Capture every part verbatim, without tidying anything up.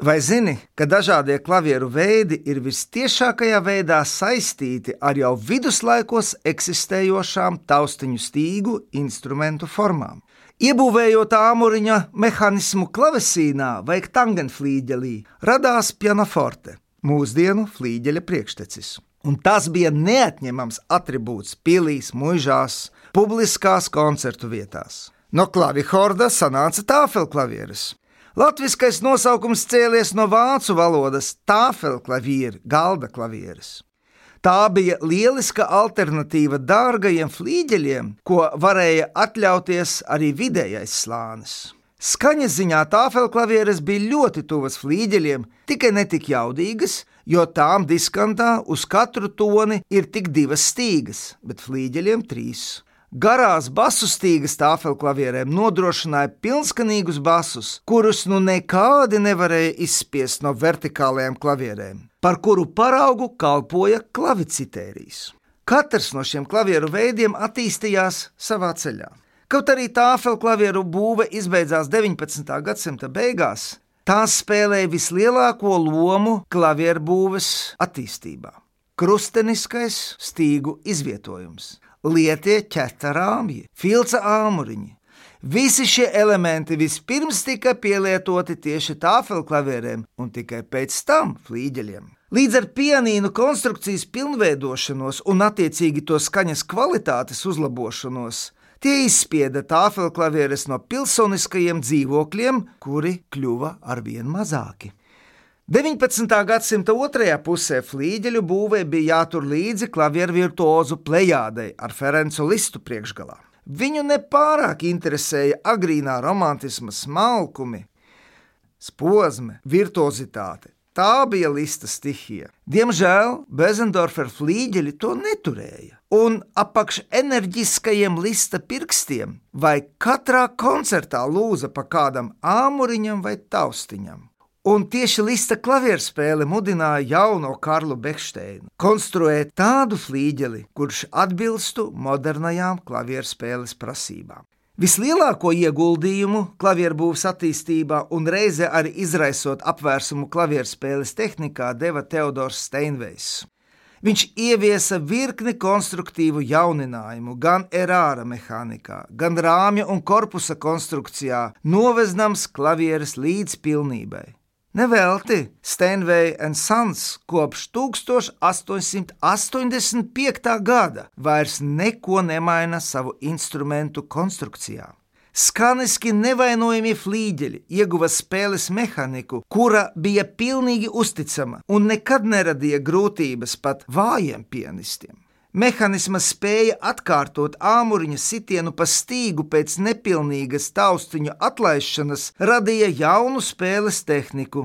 Vai zini, ka dažādie klavieru veidi ir vistiešākajā veidā saistīti ar jau viduslaikos eksistējošām taustiņu stīgu instrumentu formām? Iebūvējot āmuriņa mehānismu klavesīnā vai tangenflīģelī, radās pianoforte, mūsdienu flīģeļa priekštecis. Un tas bija neatņemams atribūts pilīs, muižās, publiskās koncertu vietās. No klavihorda sanāca tāfelklavieres. Latviskais nosaukums cēlies no vācu valodas tāfelklavieri, galda klavieres. Tā bija lieliska alternatīva dārgajiem flīģeļiem, ko varēja atļauties arī vidējais slānis. Skaņas ziņā tāfelklavieres bija ļoti tuvas flīģeļiem, tikai netik jaudīgas, jo tām diskantā uz katru toni ir tik divas stīgas, bet flīģeļiem trīs. Garās basu stīgas tāfelklavierēm nodrošināja pilnskanīgus basus, kurus nu nekādi nevarēja izspiest no vertikālajām klavierēm, par kuru paraugu kalpoja klavicitērijs. Katrs no šiem klavieru veidiem attīstījās savā ceļā. Kaut arī tāfelklavieru būve izbeidzās deviņpadsmitā gadsimta beigās, tās spēlēja vislielāko lomu klavieru būves attīstībā. Krusteniskais stīgu izvietojums, lietie ķeta rāmji, filca āmuriņi. Visi šie elementi vispirms tika pielietoti tieši tāfelklavierēm un tikai pēc tam flīģeļiem. Līdz ar pianīnu konstrukcijas pilnveidošanos un attiecīgi to skaņas kvalitātes uzlabošanos, tie izspieda tāfelklavieres no pilsoniskajiem dzīvokļiem, kuri kļuva arvien mazāki. deviņpadsmitā gadsimta otrajā pusē flīģeļu būvē bija jātur līdzi klavieru virtuozu plejādei ar Ferencu Listu priekšgalā. Viņu nepārāk interesēja agrīnā romantisma smalkumi, spozme, virtuozitāte. Tā bija Lista stihija. Diemžēl Bezendorfer flīģeļi to neturēja, un apakš enerģiskajiem Lista pirkstiem vai katrā koncertā lūza pa kādam āmuriņam vai taustiņam. Un tieši Lista klavierspēle mudināja jauno Karlu Bekšteinu konstruēt tādu flīģeli, kurš atbilstu modernajām klavierspēles prasībām. Vislielāko ieguldījumu klavierbūves attīstībā un reize arī izraisot apvērsumu klavierspēles tehnikā deva Teodors Steinvejs. Viņš ieviesa virkni konstruktīvu jauninājumu gan erāra mehānikā, gan rāmja un korpusa konstrukcijā, noveznams klavieres līdz pilnībai. Nevelti Steinway and Sons kopš tūkstoš astoņsimt astoņdesmit piektā gada vairs neko nemaina savu instrumentu konstrukcijā. Skaniski nevainojami flīģeļi ieguva spēles mehaniku, kura bija pilnīgi uzticama un nekad neradīja grūtības pat vājiem pianistiem. Mehanisma spēja atkārtot āmuriņa sitienu pa stīgu pēc nepilnīgas taustiņu atlaišanas radīja jaunu spēles tehniku,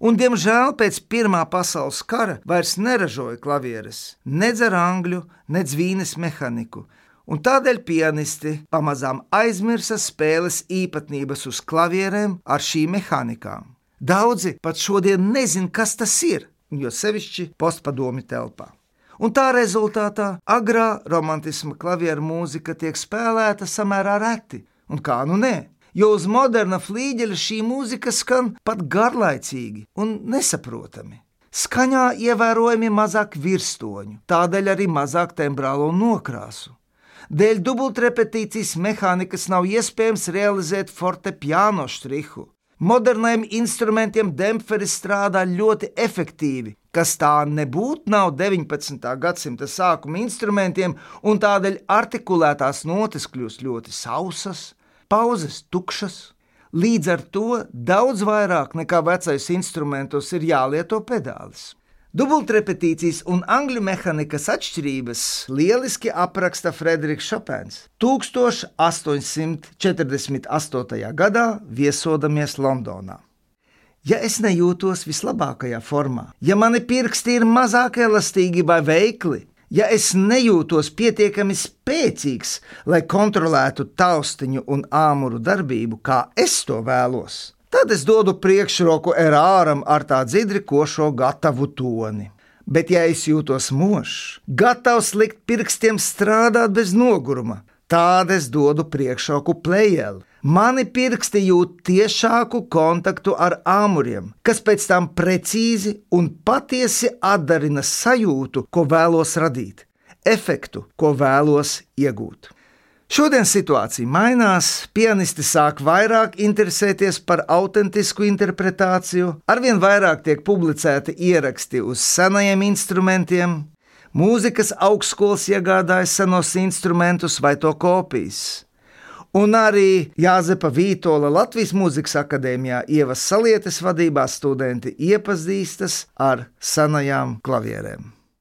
un, diemžēl, pēc Pirmā pasaules kara vairs neražoja klavieres, nedz ar angļu, nedz vīnes mehaniku, un tādēļ pianisti pamazām aizmirsa spēles īpatnības uz klavierēm ar šīm mehānikām. Daudzi pat šodien nezin, kas tas ir, jo sevišķi postpadomju telpā. Un tā rezultātā agrā romantisma klavieru mūzika tiek spēlēta samērā reti, un kā nu nē, jo uz moderna flīģeļa šī mūzika skan pat garlaicīgi un nesaprotami. Skaņā ievērojami mazāk virstoņu, tādēļ arī mazāk tembrālo nokrāsu. Dēļ dubultrepetīcijas mehānikas nav iespējams realizēt fortepiano štrihu. Modernajiem instrumentiem dempferi strādā ļoti efektīvi, kas tā nebūtu nav deviņpadsmitā gadsimta sākuma instrumentiem, un tādēļ artikulētās notis kļūst ļoti sausas, pauzes tukšas. Līdz ar to daudz vairāk nekā vecais instrumentos ir jālieto pedālis. Dubultrepetīcijas un angļu mehanikas atšķirības lieliski apraksta Frederiks Šopens tūkstoš astoņsimt četrdesmit astotajā gadā viesodamies Londonā. Ja es nejūtos vislabākajā formā, ja mani pirksti ir mazāk elastīgi vai veikli, ja es nejūtos pietiekami spēcīgs, lai kontrolētu taustiņu un āmuru darbību, kā es to vēlos, tad es dodu priekšroku erāram ar tā dzidri košo gatavu toni. Bet ja es jūtos mošs, gatavs likt pirkstiem strādāt bez noguruma, tad es dodu priekšroku plejeli, Mani pirksti jūt tiešāku kontaktu ar āmuriem, kas pēc tam precīzi un patiesi atdarina sajūtu, ko vēlos radīt, efektu, ko vēlos iegūt. Šodien situācija mainās, pianisti sāk vairāk interesēties par autentisku interpretāciju, arvien vairāk tiek publicēti ieraksti uz senajiem instrumentiem, mūzikas augstskolas iegādājas senos instrumentus vai to kopijas. Un arī Jāzepa Vītola Latvijas Mūzikas akadēmijā Ievas Salietes vadībā studenti iepazīstas ar senajām klavierēm.